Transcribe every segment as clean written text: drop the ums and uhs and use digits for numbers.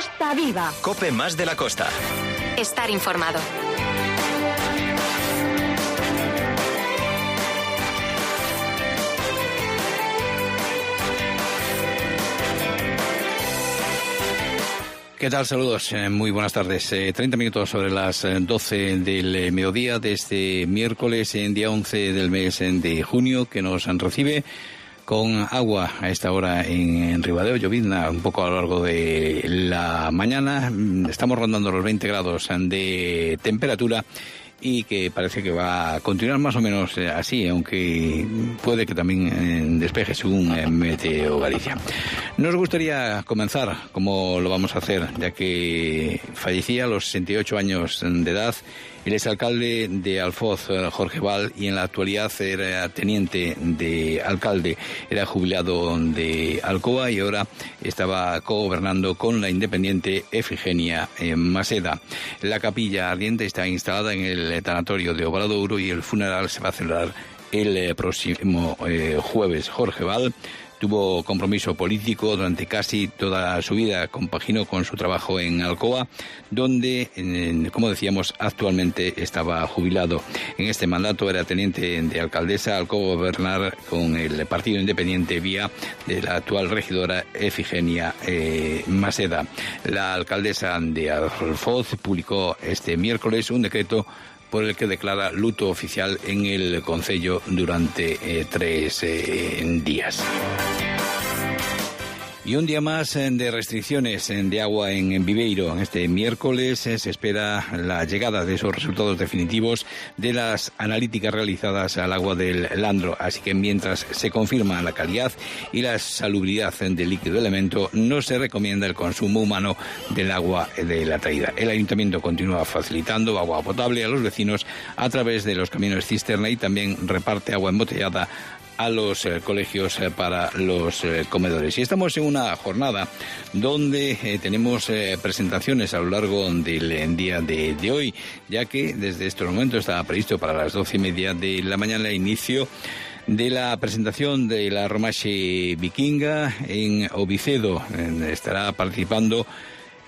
Costa Viva. COPE más de la costa. Estar informado. ¿Qué tal? Saludos, muy buenas tardes. 30 minutos sobre las 12 del mediodía de este miércoles, día 11 del mes de junio, que nos recibe con agua a esta hora en Ribadeo, llovizna un poco a lo largo de la mañana. Estamos rondando los 20 grados de temperatura y que parece que va a continuar más o menos así, aunque puede que también despeje según Meteo Galicia. Nos gustaría comenzar, como lo vamos a hacer, ya que fallecía a los 68 años de edad el exalcalde de Alfoz, Jorge Val, y en la actualidad era teniente de alcalde, era jubilado de Alcoa y ahora estaba cogobernando con la independiente Efigenia Maseda. La capilla ardiente está instalada en el tanatorio de Obradoiro y el funeral se va a celebrar el próximo jueves. Jorge Val tuvo compromiso político durante casi toda su vida, compaginó con su trabajo en Alcoa, donde, como decíamos, actualmente estaba jubilado. En este mandato era teniente de alcaldesa al cogobernar con el Partido Independiente vía de la actual regidora Efigenia Maseda. La alcaldesa de Alfoz publicó este miércoles un decreto por el que declara luto oficial en el concello durante 3 días. Y un día más de restricciones de agua en Viveiro. Este miércoles se espera la llegada de esos resultados definitivos de las analíticas realizadas al agua del Landro. Así que mientras se confirma la calidad y la salubridad del líquido elemento, no se recomienda el consumo humano del agua de la traída. El ayuntamiento continúa facilitando agua potable a los vecinos a través de los camiones cisterna y también reparte agua embotellada a los colegios para los comedores. Y estamos en una jornada donde tenemos presentaciones a lo largo del día de hoy, ya que desde estos momentos estaba previsto para las 12:30 de la mañana el inicio de la presentación de la Romaxe Vikinga en Ovicedo. Estará participando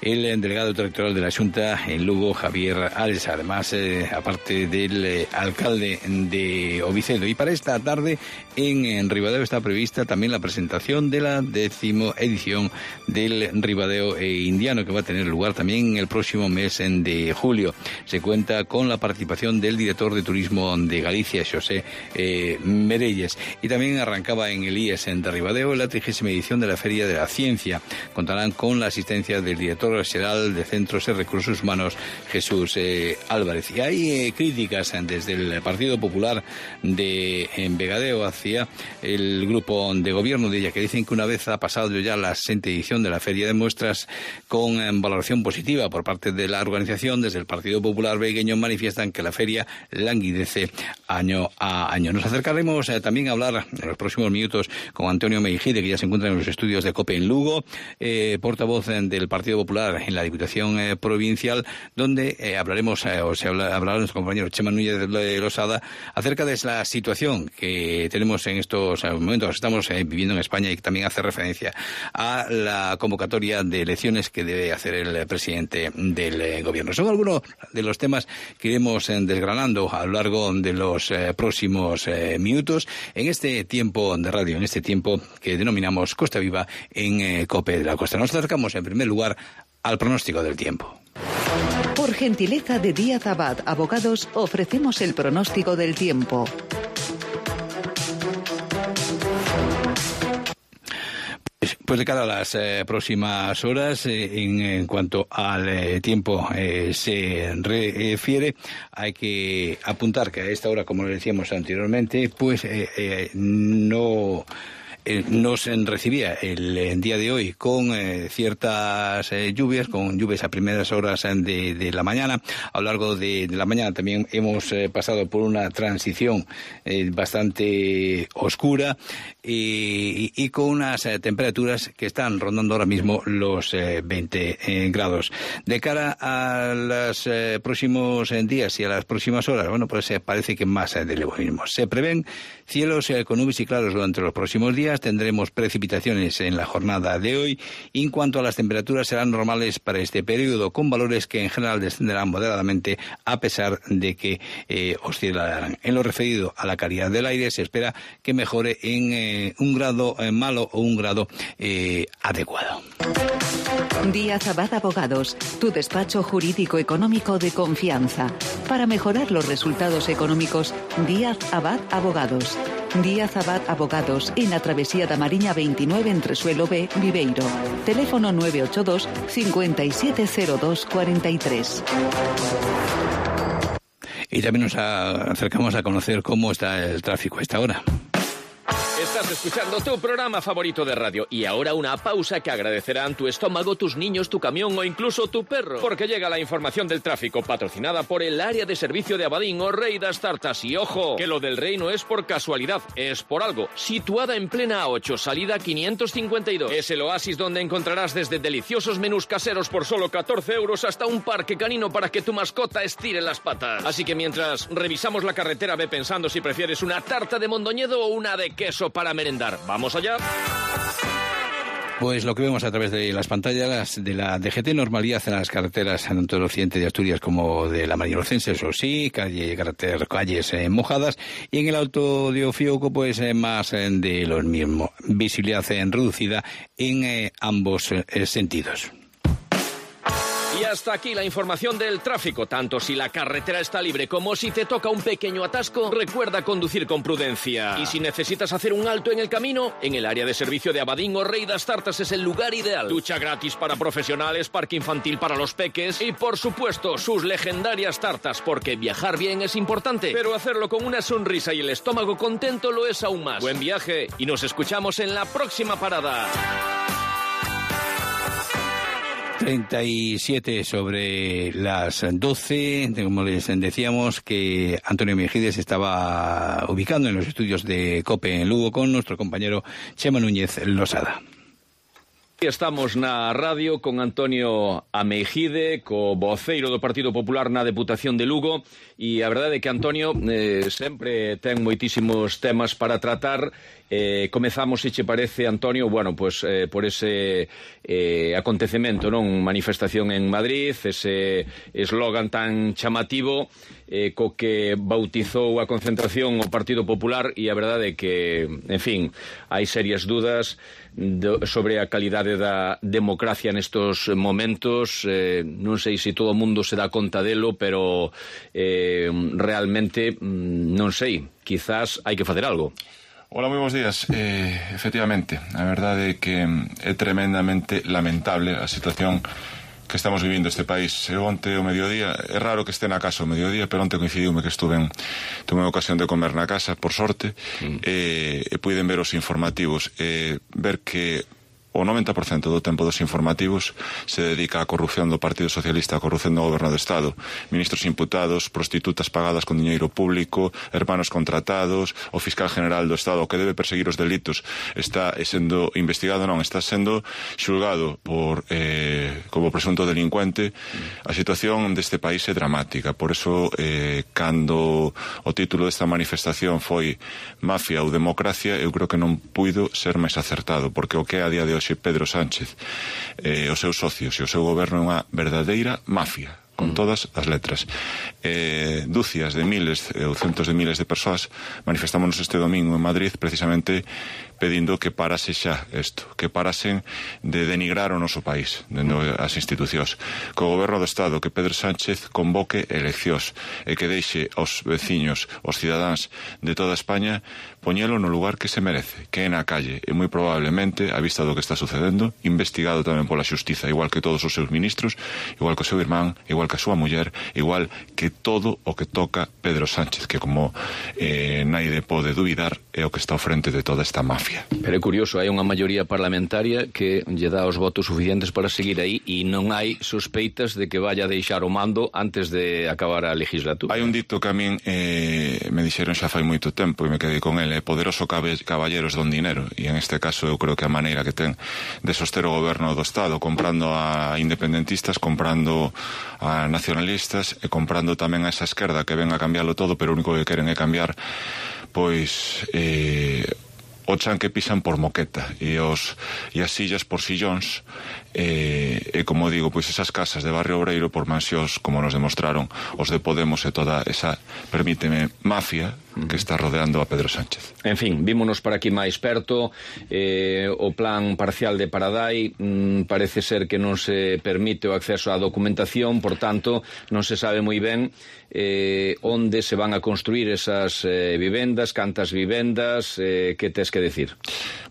el delegado territorial de la Xunta en Lugo, Javier Ares, además, aparte del alcalde de Ovicedo. Y para esta tarde en Ribadeo está prevista también la presentación de la 10ª edición del Ribadeo Indiano, que va a tener lugar también el próximo mes de julio. Se cuenta con la participación del director de Turismo de Galicia, José Merelles. Y también arrancaba en el IES de Ribadeo la 30ª edición de la Feria de la Ciencia. Contarán con la asistencia del director general de Centros y Recursos Humanos, Jesús Álvarez. Y hay críticas desde el Partido Popular de Vegadeo hacia el grupo de gobierno de ella, que dicen que una vez ha pasado ya la 60ª edición de la Feria de Muestras con valoración positiva por parte de la organización, desde el Partido Popular vegueño manifiestan que la feria languidece año a año. Nos acercaremos también a hablar en los próximos minutos con Antonio Meijide, que ya se encuentra en los estudios de COPE en Lugo, portavoz del Partido Popular en la Diputación Provincial, donde hablaremos, hablará nuestro compañero Chema Núñez de Losada acerca de la situación que tenemos en estos momentos. Estamos viviendo en España y también hace referencia a la convocatoria de elecciones que debe hacer el presidente del gobierno. Son algunos de los temas que iremos desgranando a lo largo de los próximos minutos en este tiempo de radio, en este tiempo que denominamos Costa Viva en COPE de la Costa. Nos acercamos en primer lugar al pronóstico del tiempo. Por gentileza de Díaz Abad Abogados, ofrecemos el pronóstico del tiempo. Pues de cara a las próximas horas, en cuanto al tiempo se refiere, hay que apuntar que a esta hora, como le decíamos anteriormente, pues no nos recibía el día de hoy con ciertas lluvias, con lluvias a primeras horas de la mañana. A lo largo de la mañana también hemos pasado por una transición bastante oscura y con unas temperaturas que están rondando ahora mismo los 20 grados. De cara a los próximos días y a las próximas horas, bueno, pues parece que más de lo mismo. Se prevén cielos con nubes y claros durante los próximos días, nubecitas, tendremos precipitaciones en la jornada de hoy. Y en cuanto a las temperaturas, serán normales para este periodo, con valores que en general descenderán moderadamente a pesar de que oscilarán. En lo referido a la calidad del aire, se espera que mejore en un grado malo o un grado adecuado. Díaz Abad Abogados, tu despacho jurídico económico de confianza. Para mejorar los resultados económicos, Díaz Abad Abogados. Díaz Abad Abogados, en la Travesía da Mariña 29 entre Suelo B, Viveiro. Teléfono 982 570243. Y también nos acercamos a conocer cómo está el tráfico a esta hora. Estás escuchando tu programa favorito de radio y ahora una pausa que agradecerán tu estómago, tus niños, tu camión o incluso tu perro. Porque llega la información del tráfico patrocinada por el área de servicio de Abadín o Rey das Tartas. Y ojo, que lo del Rey no es por casualidad, es por algo. Situada en plena A8, salida 552. Es el oasis donde encontrarás desde deliciosos menús caseros por solo 14 euros hasta un parque canino para que tu mascota estire las patas. Así que mientras revisamos la carretera, ve pensando si prefieres una tarta de Mondoñedo o una de queso para merendar. ¿Vamos allá? Pues lo que vemos a través de las pantallas de la DGT, normalidad en las carreteras tanto del occidente de Asturias como de la Mariña Lucense, eso sí, calles mojadas, y en el Alto de Ofioco pues más de lo mismo, visibilidad reducida en ambos sentidos. Y hasta aquí la información del tráfico. Tanto si la carretera está libre como si te toca un pequeño atasco, recuerda conducir con prudencia. Y si necesitas hacer un alto en el camino, en el área de servicio de Abadín o Rey das Tartas es el lugar ideal. Ducha gratis para profesionales, parque infantil para los peques y, por supuesto, sus legendarias tartas, porque viajar bien es importante, pero hacerlo con una sonrisa y el estómago contento lo es aún más. Buen viaje y nos escuchamos en la próxima parada. 37 sobre las 12, como les decíamos que Antonio Mejides estaba ubicando en los estudios de COPE en Lugo con nuestro compañero Chema Núñez Losada. Estamos na radio con Antonio Ameijide, co voceiro do Partido Popular na Deputación de Lugo, e a verdade é que Antonio sempre ten moitísimos temas para tratar. Comezamos, se che parece, Antonio, bueno, pues por ese acontecemento, non? Manifestación en Madrid, ese eslogan tan chamativo co que bautizou a concentración o Partido Popular, e a verdade é que, en fin, hai serias dudas sobre a calidade da democracia nestos momentos. Non sei se todo o mundo se dá conta delo, pero realmente non sei, quizás hai que facer algo. Hola, moi bons días. Efectivamente, a verdade é que é tremendamente lamentable a situación que estamos vivindo este país. Eu onte o mediodía, é raro que este na casa o mediodía, pero onte coincidiume que tuve ocasión de comer na casa, por sorte, e puiden ver os informativos, ver que o 90% do tempo dos informativos se dedica á corrupción do Partido Socialista, á corrupción do Goberno do Estado. Ministros imputados, prostitutas pagadas con diñeiro público, hermanos contratados, o fiscal general do Estado que debe perseguir os delitos está sendo investigado, non, está sendo xulgado como presunto delincuente. A situación deste país é dramática. Por eso, cando o título desta manifestación foi Mafia ou Democracia, eu creo que non puido ser máis acertado, porque o que é a día de hoxe Pedro Sánchez, os seus socios e o seu goberno é unha verdadeira mafia, con todas as letras. Dúcias de miles ou centos de miles de persoas manifestámonos este domingo en Madrid precisamente pedindo que parase xa isto, que parasen de denigrar o noso país dentro as institucións, que o Goberno do Estado, que Pedro Sánchez convoque eleccións e que deixe aos veciños, aos cidadáns de toda España poñelo no lugar que se merece, que é na calle, e moi probablemente, a vista do que está sucedendo, investigado tamén pola xustiza, igual que todos os seus ministros, igual que o seu irmán, igual que a súa muller, igual que todo o que toca Pedro Sánchez, que como naide pode dubidar é o que está ao frente de toda esta mafia. Pero é curioso, hai unha maioría parlamentaria que lle dá os votos suficientes para seguir aí e non hai sospeitas de que vaya a deixar o mando antes de acabar a legislatura. Hai un dito que a min me dixeron xa fai moito tempo e me quedei con ele: poderoso caballeros don dinero, e en este caso eu creo que a maneira que ten de soster o goberno do Estado, comprando a independentistas, comprando a nacionalistas e comprando tamén a esa esquerda que ven a cambiarlo todo, pero o único que queren é cambiar pois o chan que pisan por moqueta e as sillas por sillóns, e como digo, pois esas casas de Barrio Obreiro por mansións, como nos demostraron os de Podemos e toda esa, permíteme, mafia que está rodeando a Pedro Sánchez. En fin, vímonos por aquí máis perto. O plan parcial de Paradai parece ser que non se permite o acceso á documentación, por tanto, non se sabe moi ben onde se van a construir esas vivendas, cantas vivendas, que tes que decir?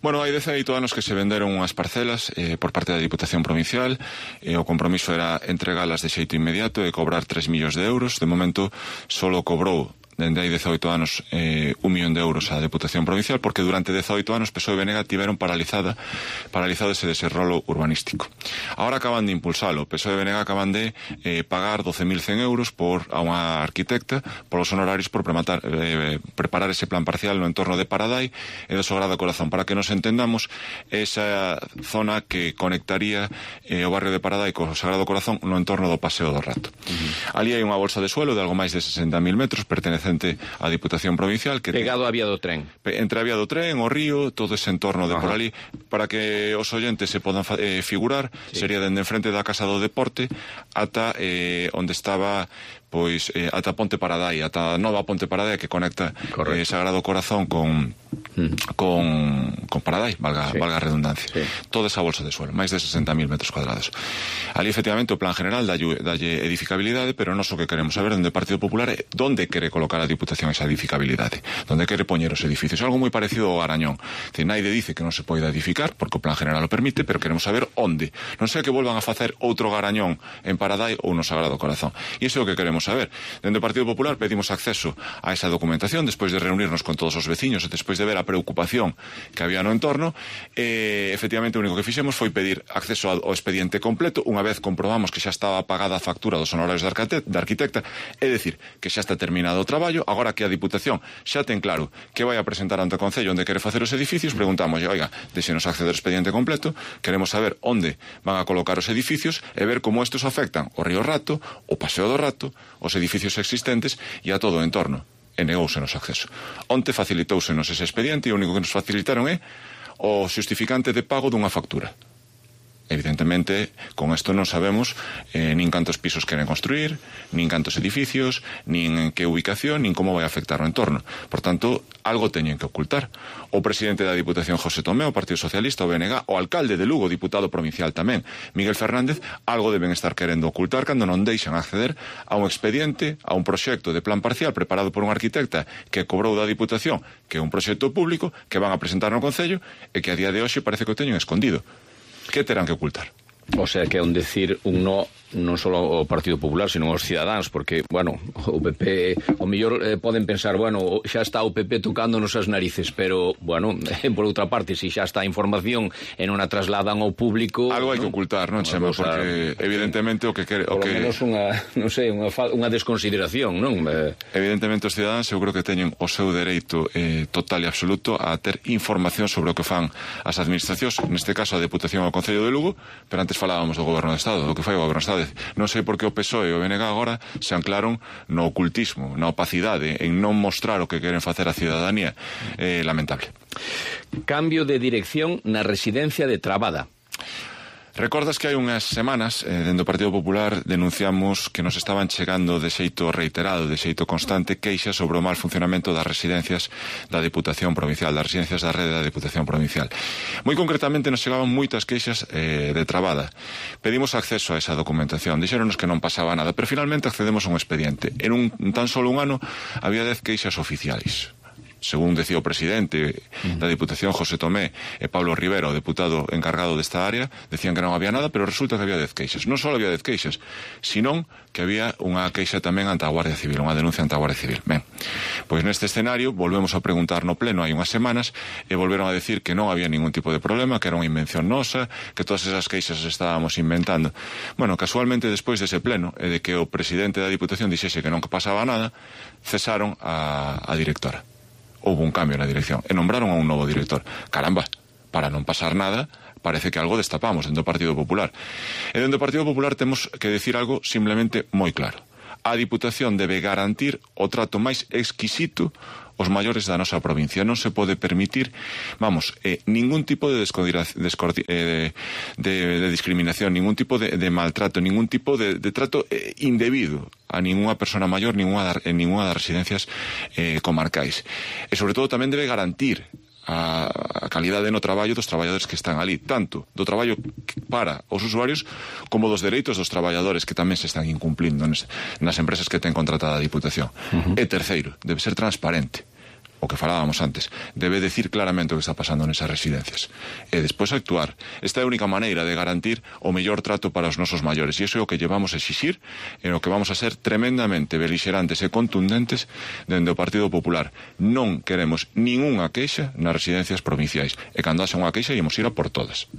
Bueno, hai 18 anos que se venderon unhas parcelas por parte da Diputación Provincial, o compromiso era entregalas de xeito inmediato e cobrar 3 millóns de euros. De momento, solo cobrou dende hai 18 anos 1 millón de euros a Deputación Provincial, porque durante 18 anos PSOE e BNG tiveron paralizado ese desenrolo urbanístico. Ahora acaban de impulsalo. PSOE e BNG acaban de pagar 12.100 euros a unha arquitecta polos honorarios por preparar ese plan parcial no entorno de Paradai e do Sagrado Corazón. Para que nos entendamos, esa zona que conectaría o barrio de Paradai co Sagrado Corazón no entorno do Paseo do Rato. Ali hai unha bolsa de suelo de algo máis de 60.000 metros, pertenecente á Diputación Provincial, que pegado á vía do tren, entre a vía do tren, o río, todo ese entorno de por ali. Para que os oyentes se podan figurar, sería dende enfrente da Casa do Deporte ata onde estaba, pois, ata Ponte Paradai, ata nova Ponte Paradai, que conecta Sagrado Corazón con Paradai, valga a redundancia. Toda esa bolsa de suelo, máis de 60.000 metros cuadrados. Ali, efectivamente, o plan general dalle edificabilidade, pero non o que queremos saber dende o Partido Popular é onde quere colocar a Diputación esa edificabilidade, onde quere poñer os edificios. Algo moi parecido ao Garañón. Naide dice que non se pode edificar, porque o plan general o permite, pero queremos saber onde. Non sei que volvan a facer outro Garañón en Paradai ou no Sagrado Corazón. E iso é o que queremos saber. Dende o Partido Popular pedimos acceso a esa documentación despois de reunirnos con todos os veciños e despois de ver a preocupación que había no entorno. Efectivamente, o único que fixemos foi pedir acceso ao expediente completo unha vez comprobamos que xa estaba pagada a factura dos honorarios da arquitecta, é dicir, que xa está terminado o traballo. Agora que a Diputación xa ten claro que vai a presentar ante o Concello onde quere facer os edificios, preguntamos, oiga, deixenos acceder ao expediente completo, queremos saber onde van a colocar os edificios e ver como estes afectan o Río Rato, o Paseo do Rato, os edificios existentes e a todo o entorno. E negóusenos acceso. Onte facilitóusenos ese expediente e o único que nos facilitaron é o xustificante de pago dunha factura. Evidentemente, con isto non sabemos nin cantos pisos queren construir, nin cantos edificios, nin en que ubicación, nin como vai afectar o entorno. Por tanto, algo teñen que ocultar. O presidente da Diputación, José Tomé, o Partido Socialista, o BNG, o alcalde de Lugo, diputado provincial tamén, Miguel Fernández, algo deben estar querendo ocultar cando non deixan acceder a un expediente, a un proxecto de plan parcial preparado por un arquitecta que cobrou da Diputación, que é un proxecto público que van a presentar no Concello e que a día de hoxe parece que o teñen escondido. Que terán que ocultar? O sea, que é un decir un no non só ao Partido Popular, sino aos cidadáns, porque, bueno, o PP, o mellor poden pensar, bueno, xa está o PP tocándonos as narices, pero, bueno, por outra parte, se xa está a información e non a trasladan ao público... Algo hai que ocultar, non, Chema? Porque, evidentemente, o que... Por lo menos unha desconsideración, non? Evidentemente, os cidadáns, eu creo que teñen o seu dereito total e absoluto a ter información sobre o que fan as administracións, neste caso a Deputación ao Concello de Lugo, pero antes falábamos do Goberno de Estado, do que foi o Goberno de Estado. Non sei por que o PSOE e o BNG agora se anclaron no ocultismo, na opacidade, en non mostrar o que queren facer a cidadanía. Lamentable. Cambio de dirección na residencia de Trabada. Recordas que hai unhas semanas, dentro do Partido Popular, denunciamos que nos estaban chegando de xeito reiterado, de xeito constante, queixas sobre o mal funcionamento das residencias da Diputación Provincial, das residencias da rede da Diputación Provincial. Moi concretamente nos chegaban moitas queixas de Trabada. Pedimos acceso a esa documentación, dixéronos que non pasaba nada, pero finalmente accedemos a un expediente. En tan solo un ano había 10 queixas oficiais. Según decía o presidente da Diputación, José Tomé, e Pablo Rivera, o deputado encargado desta área, decían que non había nada, pero resulta que había 10 queixas. Non só había 10 queixas, senón que había unha queixa tamén ante a Guardia Civil, unha denuncia ante a Guardia Civil. Ben, pois neste escenario volvemos a preguntar no pleno hai unhas semanas e volveron a decir que non había ningún tipo de problema, que era unha invención nosa, que todas esas queixas estábamos inventando. Bueno, casualmente despois dese pleno e de que o presidente da Diputación dixese que non pasaba nada, cesaron a directora. Houve un cambio na dirección e nombraron a un novo director. Caramba, para non pasar nada, parece que algo destapamos dentro do Partido Popular. E dentro do Partido Popular temos que decir algo simplemente moi claro. A Diputación debe garantir o trato máis exquisito os maiores da nosa provincia. Non se pode permitir, ningún tipo de discriminación, ningún tipo de maltrato, ningún tipo de trato indebido a ninguna persona maior en ninguna das residencias comarcais. E sobre todo tamén debe garantir a calidade no traballo dos traballadores que están ali, tanto do traballo para os usuarios como dos dereitos dos traballadores que tamén se están incumplindo nas empresas que ten contratada a Diputación. E terceiro, debe ser transparente. O que falábamos antes, debe decir claramente o que está pasando nesas residencias e despois actuar. Esta é a única maneira de garantir o mellor trato para os nosos maiores, e iso é o que llevamos a exixir e o que vamos a ser tremendamente belixerantes e contundentes dende o Partido Popular. Non queremos ningunha queixa nas residencias provinciais, e cando haxa unha queixa íamos ir a por todas.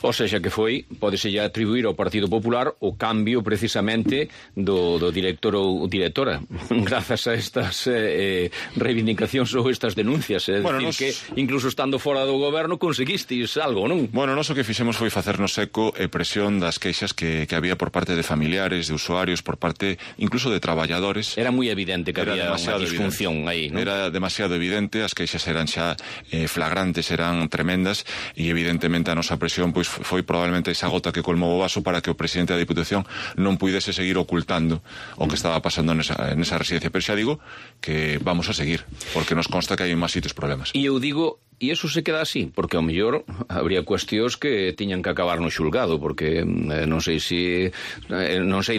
O sexa que pódese ya atribuir ao Partido Popular o cambio precisamente do director ou directora grazas a estas reivindicacións ou estas denuncias, que incluso estando fora do goberno conseguisteis algo, non? Bueno, nós o que fixemos foi facernos eco e presión das queixas que había por parte de familiares, de usuarios, por parte incluso de traballadores. Era moi evidente que había unha disfunción aí, non? Era demasiado evidente, as queixas eran xa flagrantes, eran tremendas, e evidentemente a nosa presión pois foi probablemente esa gota que colmou o vaso para que o presidente da Diputación non puidese seguir ocultando o que estaba pasando nesa residencia. Pero xa digo que vamos a seguir, porque nos consta que hai en máis sitios problemas. E eu digo, e iso se queda así, porque ao mellor habría cuestións que tiñan que acabar no xulgado, porque non sei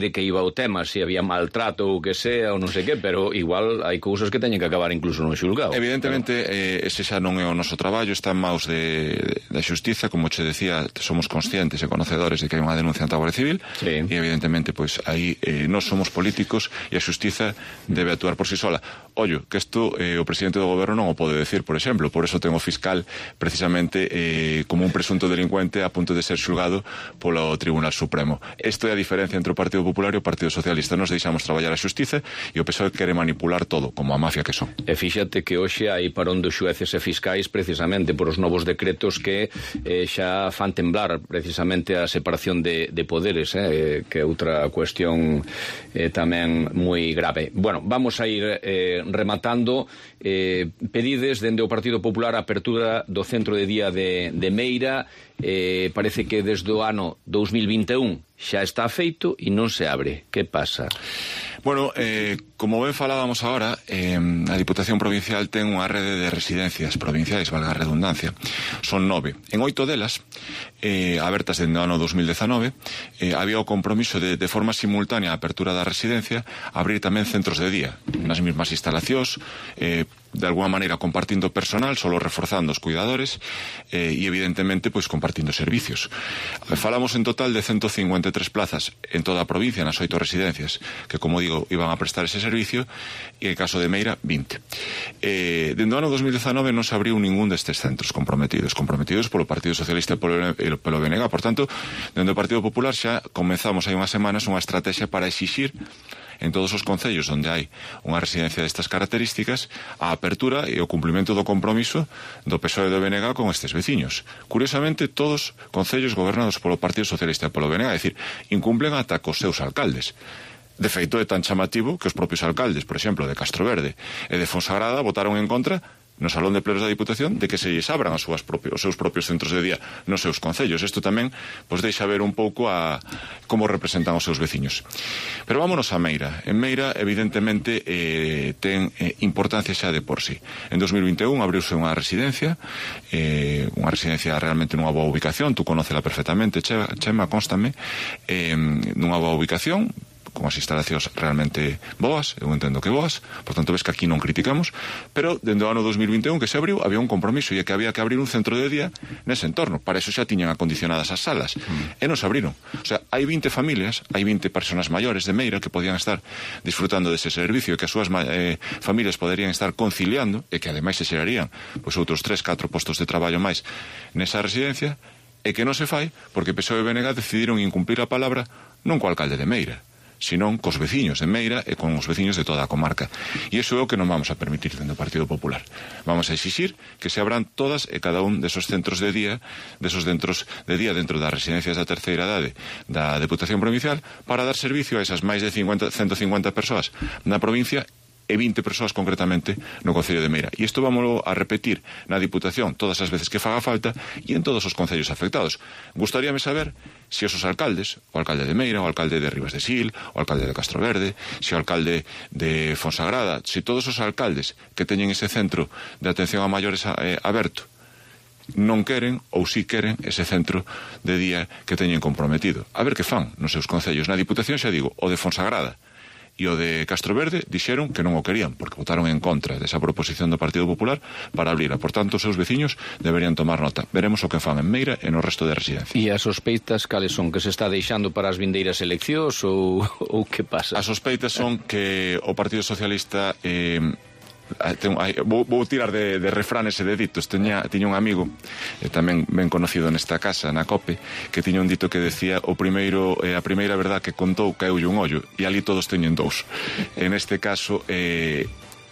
de que iba o tema, se había maltrato ou que sea, ou non sei que, pero igual hai cousas que teñen que acabar incluso no xulgado. Evidentemente, ese xa non é o noso traballo, está en maus da xustiza, como che decía, somos conscientes e conocedores de que hai unha denuncia ante a Guardia Civil, e evidentemente, pois, aí nós somos políticos e a xustiza debe actuar por si sola. Ollo, que isto o presidente do goberno non o pode decir, por exemplo, por eso ten o fiscal precisamente como un presunto delincuente a punto de ser xulgado polo Tribunal Supremo. Isto é a diferencia entre o Partido Popular e o Partido Socialista. Nos deixamos traballar a xustiza e o PSOE quere manipular todo, como a mafia que son. E fíxate que hoxe hai parón dos xueces e fiscais precisamente por os novos decretos que xa fan temblar precisamente a separación de poderes, que é outra cuestión tamén moi grave. Bueno, vamos a ir rematando. Pedides dende o Partido Popular a apertura do centro de día de Meira. Parece que desde o ano 2021 xa está feito e non se abre. Que pasa? Bueno, como ben falábamos agora, a Diputación Provincial ten unha rede de residencias provinciais, valga a redundancia. Son 9. En 8 delas, abertas dende o ano 2019, había o compromiso de forma simultánea a apertura da residencia, abrir tamén centros de día, nas mesmas instalacións, de alguna maneira compartindo personal, solo reforzando os cuidadores, e evidentemente pois compartindo servicios. Falamos en total de 153 plazas en toda a provincia, nas 8 residencias, que, como digo, iban a prestar ese servicio, e en caso de Meira, 20. Dende o ano 2019 non se abriu ningún destes centros comprometidos polo Partido Socialista e polo BNG. Por tanto, dende o Partido Popular xa comenzamos hai unhas semanas unha estrategia para exixir en todos os concellos onde hai unha residencia destas características a apertura e o cumprimento do compromiso do PSOE e do BNG con estes veciños. Curiosamente, todos concellos gobernados polo Partido Socialista e polo BNG, é dicir, incumplen ata cos seus alcaldes. De feito, é tan chamativo que os propios alcaldes, por exemplo, de Castroverde e de Fonsagrada votaron en contra no Salón de Plenos da Diputación de que se lles abran os seus propios centros de día nos seus concellos. Isto tamén pois deixa ver un pouco a como representan os seus veciños. Pero vámonos a Meira. En Meira, evidentemente, ten importancia xa de por sí. En 2021 abriuse unha residencia realmente nunha boa ubicación, tú conócela perfectamente, Chema, constame, nunha boa ubicación, con as instalacións realmente boas, eu entendo que boas, por tanto ves que aquí non criticamos, pero dende o ano 2021 que se abriu, había un compromiso e que había que abrir un centro de día nese entorno. Para eso xa tiñan acondicionadas as salas, e non se abriron. O sea, hai 20 familias, hai 20 personas maiores de Meira que podían estar disfrutando dese servicio e que as súas familias poderían estar conciliando e que ademais se xerarían pois outros 3-4 postos de traballo máis nesa residencia, e que non se fai porque PSOE e BNG decidiron incumplir a palabra non co alcalde de Meira, senón cos veciños de Meira e con os veciños de toda a comarca. E iso é o que non vamos a permitir dentro do Partido Popular. Vamos a exixir que se abran todas e cada un desos centros de día, dentro das residencias da terceira idade da Deputación Provincial, para dar servicio a esas máis de 150 persoas na provincia e 20 persoas concretamente no Concello de Meira. E isto vámoslo a repetir na Diputación todas as veces que faga falta e en todos os concellos afectados. Gustaríame saber se os alcaldes, o alcalde de Meira, o alcalde de Ribas de Sil, o alcalde de Castroverde, se o alcalde de Fonsagrada, se todos os alcaldes que teñen ese centro de atención a maiores aberto non queren ou si queren ese centro de día que teñen comprometido. A ver que fan nos seus concellos. Na Diputación, xa digo, o de Fonsagrada e o de Castroverde dixeron que non o querían porque votaron en contra desa proposición do Partido Popular para abrila. Por tanto, os seus veciños deberían tomar nota. Veremos o que fan en Meira e no resto de residencias. E as sospeitas cales son? Que se está deixando para as vindeiras eleccións ou que pasa? As sospeitas son que o Partido Socialista vou tirar de refranes e de ditos. Tiña un amigo tamén ben conocido nesta casa, na COPE, que tiña un dito que decía a primeira verdad que contou caeulle un ollo, e ali todos teñen dous. En este caso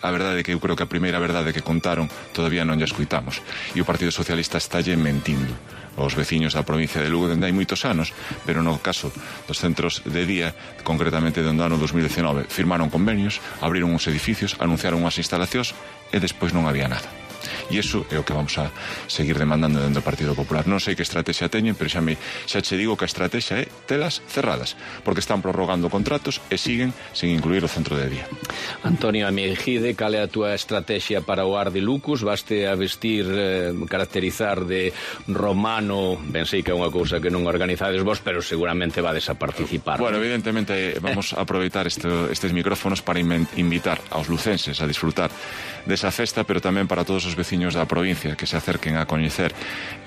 a verdade é que eu creo que a primeira verdade que contaron todavía non lla escuitamos, e o Partido Socialista estalle mentindo aos veciños da provincia de Lugo dende hai moitos anos, pero no caso dos centros de día, concretamente dende o ano 2019, firmaron convenios, abriron uns edificios, anunciaron unhas instalacións e despois non había nada. E iso é o que vamos a seguir demandando dentro do Partido Popular. Non sei que estrategia teñen, pero xa che digo que a estrategia é telas cerradas, porque están prorrogando contratos e siguen sin incluir o centro de día. Antonio Amejide, cal é a túa estrategia para o Ar de Lucus? Vaste a vestir, caracterizar de romano, ben sei que é unha cousa que non organizades vos, pero seguramente vades a participar. Bueno, evidentemente vamos a aproveitar estes micrófonos para invitar aos lucenses a disfrutar desa festa, pero tamén para todos os veciños da provincia que se acerquen a coñecer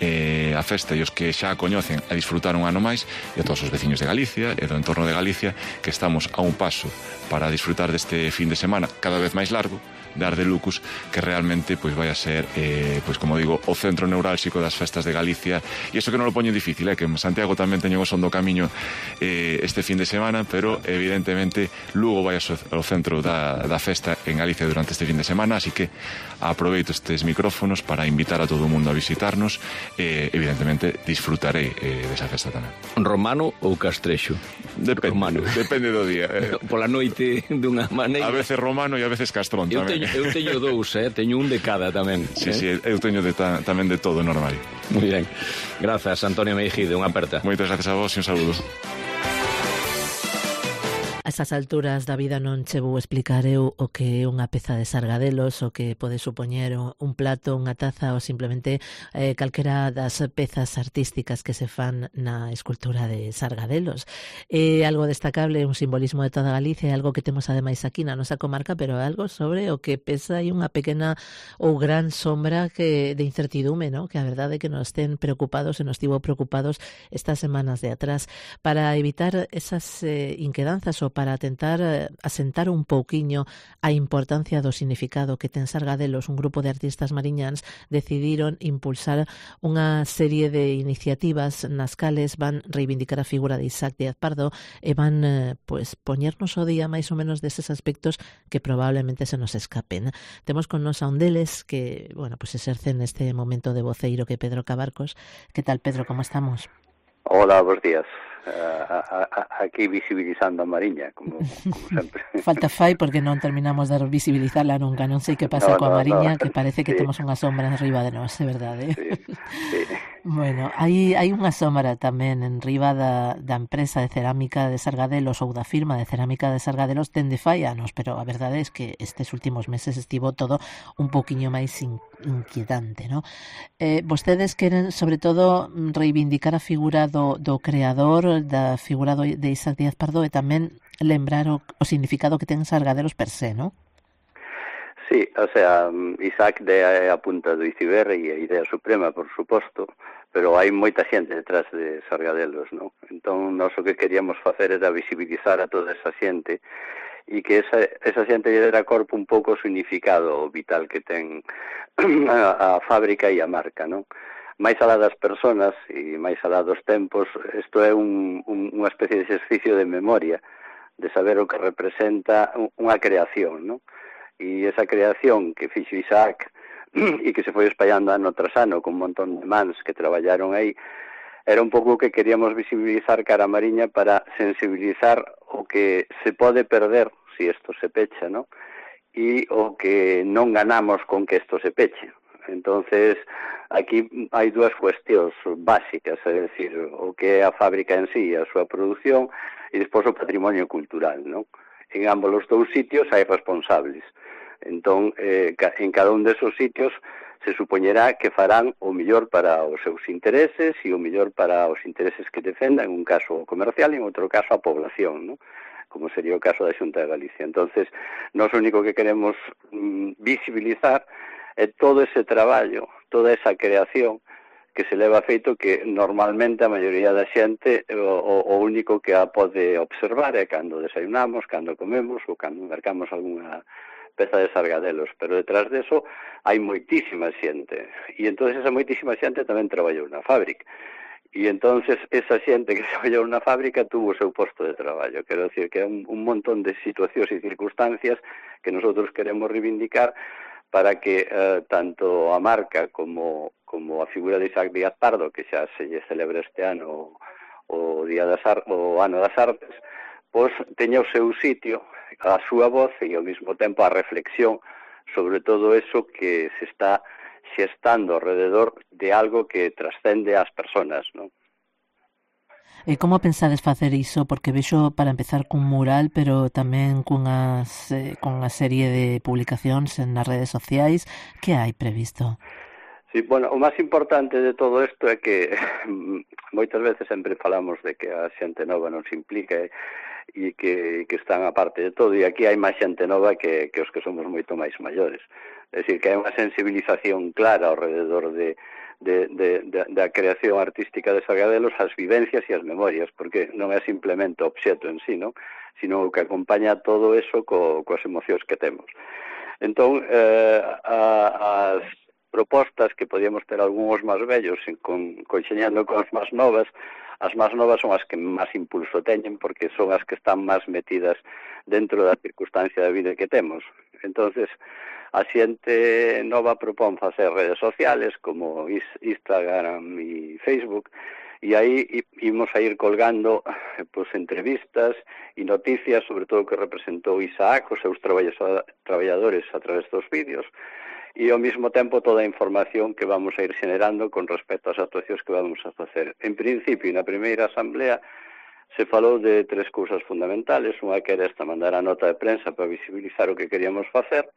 a festa e os que xa a coñecen a disfrutar un ano máis, e a todos os veciños de Galicia e do entorno de Galicia que estamos a un paso para disfrutar deste fin de semana cada vez máis largo de Ar de Lucus, que realmente pois vai a ser, pois como digo, o centro neurálxico das festas de Galicia. E iso que non lo poño difícil, que en Santiago tamén teñen o son do camiño este fin de semana, pero evidentemente Lugo vai ao centro da festa en Galicia durante este fin de semana, así que aproveito estes micrófonos para invitar a todo o mundo a visitarnos e evidentemente disfrutarei desa festa tamén. Romano ou castrexo? Depende do día. Pola noite dunha maneira. A veces romano e a veces castrón tamén. Eu teño dous, teño un de cada tamén. Sí, eu teño tamén de todo normal. Moi ben. Grazas, Antonio Mejide, unha aperta. Moitas gracias a vos e un saludo. A estas alturas da vida non che vou explicar eu o que é unha peza de sargadelos, o que pode supoñer un plato, unha taza ou simplemente calquera das pezas artísticas que se fan na escultura de sargadelos. É algo destacable, un simbolismo de toda Galicia, é algo que temos ademais aquí na nosa comarca, pero é algo sobre o que pesa aí unha pequena ou gran sombra de incertidume, ¿no? Que a verdade é que nos ten preocupados e nos tivo preocupados estas semanas de atrás. Para evitar esas inquedanzas ou para tentar asentar un pouquiño a importancia do significado que ten Sargadelos, un grupo de artistas mariñáns decidiron impulsar unha serie de iniciativas nas cales van reivindicar a figura de Isaac Díaz Pardo e van poñernos o día máis ou menos deses aspectos que probablemente se nos escapen. Temos con nos a un deles que, exerce neste momento de voceiro, que Pedro Cabarcos. Que tal, Pedro, como estamos? Hola, bons días. Aquí visibilizando a Mariña, como sempre. Falta fai porque non terminamos de visibilizarla nunca. Non sei que pasa coa Mariña, que parece que temos unha sombra arriba de nós, é verdade? Sí. Bueno, hai unha sombra tamén en riba da empresa de cerámica de Sargadelos ou da firma de cerámica de Sargadelos dende fai anos, pero a verdade é que estes últimos meses estivo todo un poquinho máis inquietante, ¿no? Vostedes queren, sobre todo, reivindicar a figura do creador, da figura de Isaac Díaz Pardo, e tamén lembrar o significado que ten Sargadelos per se, ¿no? Sí, o sea, Isaac é a punta do iceberg e a idea suprema, por suposto, pero hai moita xente detrás de Sargadelos, ¿no? Entón, nós o que queríamos facer era visibilizar a toda esa xente e que esa xente lle dera corpo un pouco o significado vital que ten a fábrica e a marca, ¿no? Máis alá das persoas e máis alá dos tempos, isto é unha especie de exercicio de memoria, de saber o que representa unha creación, ¿no? E esa creación que fixo Isaac e que se foi espallando ano tras ano con un montón de mans que traballaron aí, era un pouco o que queríamos visibilizar cara a Mariña para sensibilizar o que se pode perder se isto se pecha, ¿no? e o que non ganamos con que isto se peche. Entonces, aquí hai dúas cuestións básicas, é dicir, o que é a fábrica en sí, a súa produción, e despois o patrimonio cultural, non? En ambos os dous sitios hai responsables. Entón, en cada un desos sitios se supoñerá que farán o mellor para os seus intereses e o mellor para os intereses que defendan, en un caso comercial e en outro caso a población, non? Como sería o caso da Xunta de Galicia. Entonces, nós o único que queremos visibilizar é todo ese traballo, toda esa creación que se leva feito, que normalmente a maioría da xente o único que a pode observar é cando desayunamos, cando comemos ou cando mercamos algunha peza de sargadelos, pero detrás deso hai moitísima xente, e entonces esa moitísima xente tamén traballou na fábrica. E entonces esa xente que traballou na fábrica tuvo o seu posto de traballo. Quero decir que é un montón de situacións e circunstancias que nosotros queremos reivindicar para que tanto a marca como a figura de Isaac Díaz Pardo, que xa se lle celebra este ano o ano das Artes, pois teña o seu sitio, a súa voz e ao mesmo tempo a reflexión sobre todo eso que se está xestando alrededor de algo que trascende ás persoas, non? E como pensades facer iso? Porque vexo, para empezar, cun mural, pero tamén cunha serie de publicacións nas redes sociais. Que hai previsto? Sí, bueno, o máis importante de todo isto é que moitas veces sempre falamos de que a xente nova non se implica e que están a parte de todo, e aquí hai máis xente nova que os que somos moito máis maiores. É dicir, que hai unha sensibilización clara ao rededor da creación artística de Sargadelos, as vivencias e as memorias, porque non é simplemente o obxeto en sí, non? Sino que acompaña todo eso coas emocións que temos. Entón, as propostas que podíamos ter algúns máis vellos conxeñando con as máis novas son as que máis impulso teñen, porque son as que están máis metidas dentro da circunstancia da vida que temos. Entonces, a xente nova propón facer redes sociales como Instagram e Facebook, e aí imos a ir colgando entrevistas e noticias sobre todo o que representou Isaac, os seus traballadores a través dos vídeos, e ao mesmo tempo toda a información que vamos a ir generando con respecto ás actuacións que vamos a facer. En principio, na primeira asamblea se falou de tres cousas fundamentales. Unha que era esta, mandar a nota de prensa para visibilizar o que queríamos facer.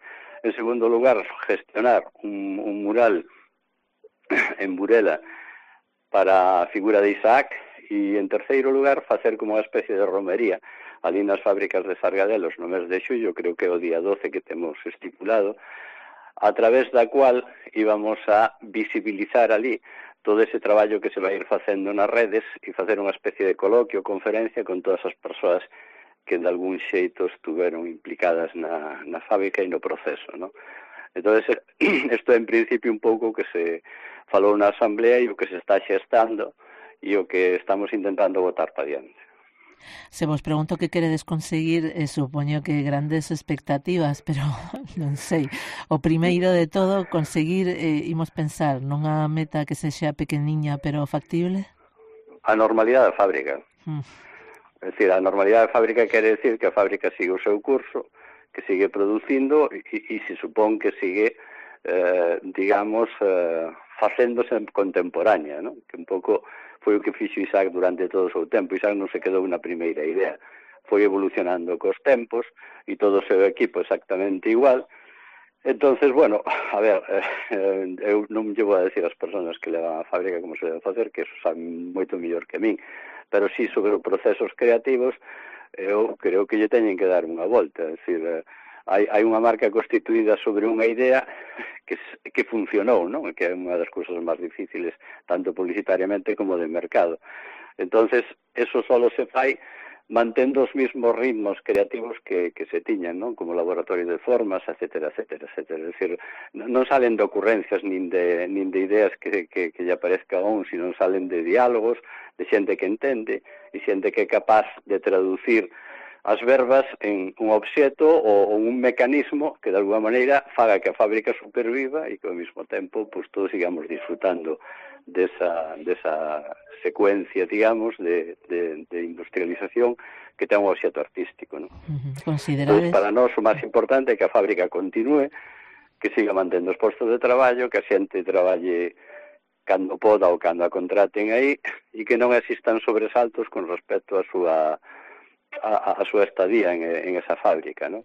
En segundo lugar, gestionar un mural en Burela para a figura de Isaac, e en terceiro lugar, facer como unha especie de romería ali nas fábricas de Sargadelos no mes de xullo, creo que é o día 12 que temos estipulado, a través da cual íbamos a visibilizar ali todo ese traballo que se vai ir facendo nas redes e facer unha especie de coloquio, conferencia con todas as persoas que de algún xeito estuveron implicadas na fábrica e no proceso, ¿no? Entonces, isto en principio un pouco que se falou na asamblea e o que se está xestando e o que estamos intentando botar para diante. Se vos pregunto que queredes conseguir, supoño que grandes expectativas, pero non sei. O primeiro de todo, conseguir, imos pensar, nunha meta que sexa pequeniña pero factible? A normalidade da fábrica. É dicir, a normalidade da fábrica quere decir que a fábrica sigue o seu curso, que sigue producindo e se supón que sigue, facéndose contemporánea, ¿no? Que un pouco foi o que fixo Isaac durante todo o seu tempo. Isaac non se quedou na primeira idea, foi evolucionando cos tempos e todo o seu equipo exactamente igual. Entonces, bueno, a ver, eu non llevo a decir ás persoas que levan a fábrica como se debe facer, que eso saben moito mellor que min, pero sí sobre os procesos creativos eu creo que lle teñen que dar unha volta. É dicir, hai unha marca constituída sobre unha idea que funcionou, non? Que é unha das cousas máis difíciles, tanto publicitariamente como de mercado. Entonces, eso solo se fai mantendo os mesmos ritmos creativos que se tiñan, non? Como laboratorio de formas, etcétera, etcétera, etcétera. É dicir, non salen de ocurrencias nin de ideas que lle aparezca a un, sino salen de diálogos, de xente que entende, e xente que é capaz de traducir as verbas en un obxeto ou un mecanismo que de alguma maneira faga que a fábrica superviva e que ao mesmo tempo pues, todos sigamos disfrutando desa secuencia, digamos, de industrialización que ten un obxecto artístico, non? Considerades... Pois para nós o máis importante é que a fábrica continúe, que siga mantendo os postos de traballo, que a xente traballe cando poda ou cando a contraten aí, e que non existan sobresaltos con respecto a súa estadía en esa fábrica, non?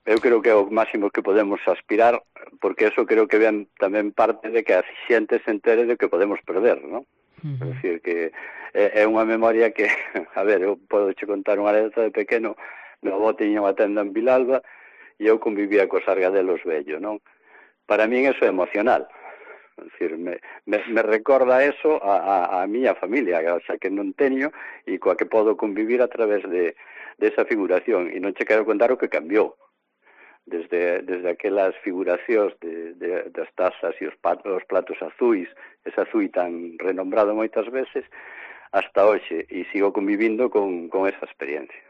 Eu creo que é o máximo que podemos aspirar, porque eso creo que ven tamén parte de que a xente se entere de que podemos perder, non? É dicir, que é unha memoria que, a ver, eu podo che contar unha anécdota de pequeno. Meu avó tiña unha tenda en Vilalba e eu convivía cos sargadelos vello, non? Para min eso é emocional. É dicir, me recorda eso a miña familia, xa que non teño, e coa que podo convivir a través de esa figuración. E non che quero contar o que cambiou. Desde aquelas figuracións das tazas e os platos azuis, ese azul tan renombrado moitas veces, hasta hoxe, e sigo convivindo con esa experiencia.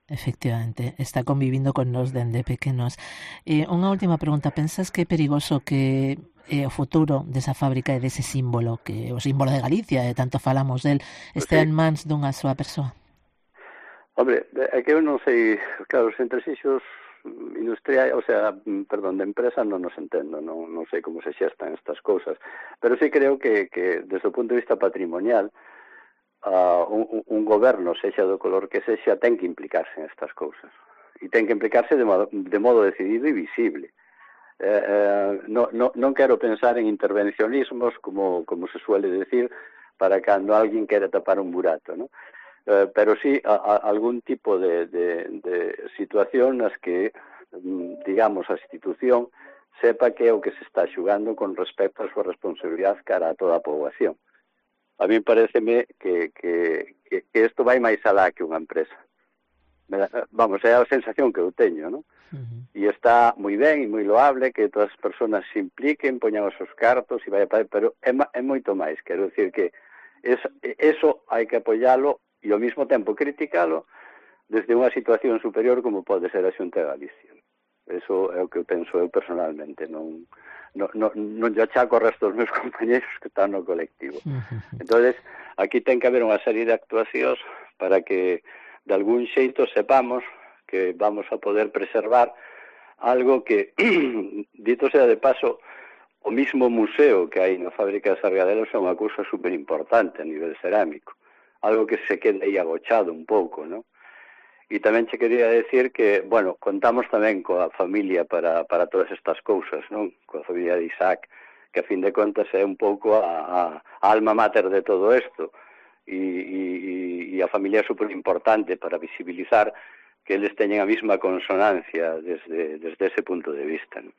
Efectivamente, está convivindo con nos dende pequenos. Unha última pregunta, pensas que é perigoso que o futuro desa fábrica e dese símbolo, que o símbolo de Galicia, e tanto falamos del, estea en mans dunha soa persoa? Hombre, é que eu non sei, claro, os entresixos industrial, o sea, perdón, de empresa non nos entendo, non sei como se xestan estas cousas, pero sí creo que desde o punto de vista patrimonial un goberno, sexa do color que sexa, ten que implicarse en estas cousas, e ten que implicarse de modo decidido e visible. Non quero pensar en intervencionismos, como se suele decir, para cando alguén quere tapar un burato, non? Pero sí algún tipo de situación nas que, digamos, a institución sepa que é o que se está xugando con respecto a súa responsabilidade cara a toda a poboación. A mí pareceme que isto vai máis alá que unha empresa. Vamos, é a sensación que eu teño, non? E está moi ben e moi loable que todas as persoas se impliquen, poñan os seus cartos e vai para... Pero é moito máis, quero dicir que eso hai que apoialo e ao mesmo tempo criticalo desde unha situación superior como pode ser a Xunta de Galicia. Eso é o que penso eu personalmente, non lle achaco ao resto dos meus compañeros que están no colectivo. Entonces, aquí ten que haber unha serie de actuacións para que de algún xeito sepamos que vamos a poder preservar algo que, dito sea de paso, o mismo museo que hai na fábrica de Sargadelos é unha cousa super importante a nivel cerámico, algo que se queda aí agochado un pouco, non? E tamén che quería decir que, bueno, contamos tamén coa familia para todas estas cousas, non? Coa familia de Isaac, que a fin de contas é un pouco a alma mater de todo isto, e a familia é super importante para visibilizar que eles teñen a mesma consonancia desde ese punto de vista, non?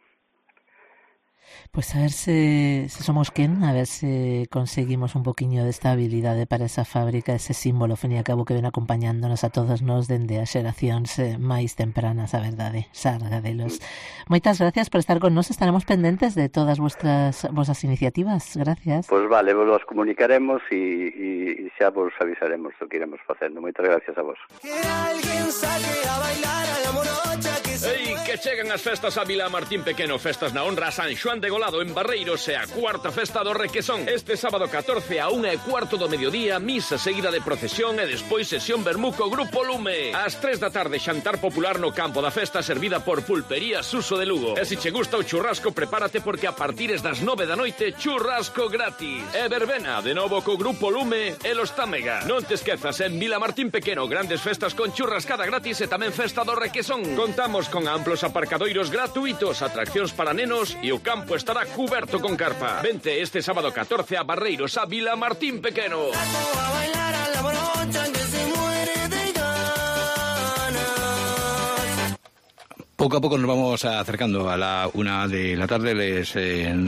Pues a ver se somos quen, a ver se conseguimos un poquinho de estabilidade para esa fábrica, ese símbolo, fin e a cabo, que ven acompañándonos a todos nós dende as xeracións máis tempranas, a verdade, Sargadelos. Moitas gracias por estar con nós, estaremos pendentes de todas vosas iniciativas, gracias. Pois vale, vos comunicaremos e xa vos avisaremos o que iremos facendo. Moitas gracias a vos. Que alguén saque a bailar a la morocha que se... Ei, que chegan as festas a Vila Martín Pequeno, festas na honra a San Xoán de Golado en Barreiros e a cuarta festa do Requesón. Este sábado 14 a 1:15 do mediodía, misa seguida de procesión e despois sesión vermuco Grupo Lume. Ás 3 da tarde, xantar popular no campo da festa servida por Pulpería Suso de Lugo. E se che gusta o churrasco, prepárate porque a partires das 9 da noite, churrasco gratis. E verbena, de novo co Grupo Lume e Los Támega. Non te esquezas, en Vila Martín Pequeno, grandes festas con churrascada gratis e tamén festa do Requesón. Contamos con amplos aparcadoiros gratuitos, atraccións para nenos e o campo estará cuberto con carpa. Vente este sábado 14 a Barreiros, a Vila Martín Pequeno. a bailar a la morocha que se muere de ganas. Poco a poco nos vamos acercando a la 1 de la tarde. Les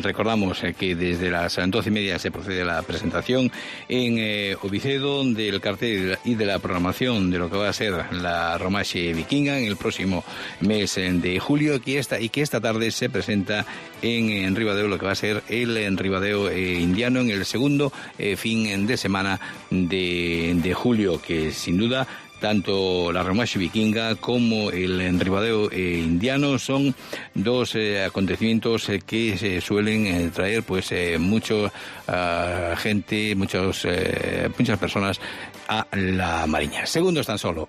recordamos que desde las 12:30 se procede a la presentación en Ovicedo del cartel y de la programación de lo que va a ser la Romaxe Vikinga en el próximo mes de julio, y que esta tarde se presenta en Ribadeo lo que va a ser el Ribadeo indiano en el segundo fin de semana de julio, que sin duda Tanto la Romaxe vikinga como el enribadeo indiano son dos acontecimientos que se suelen traer pues mucha gente, muchas personas a la Mariña. Segundos tan solo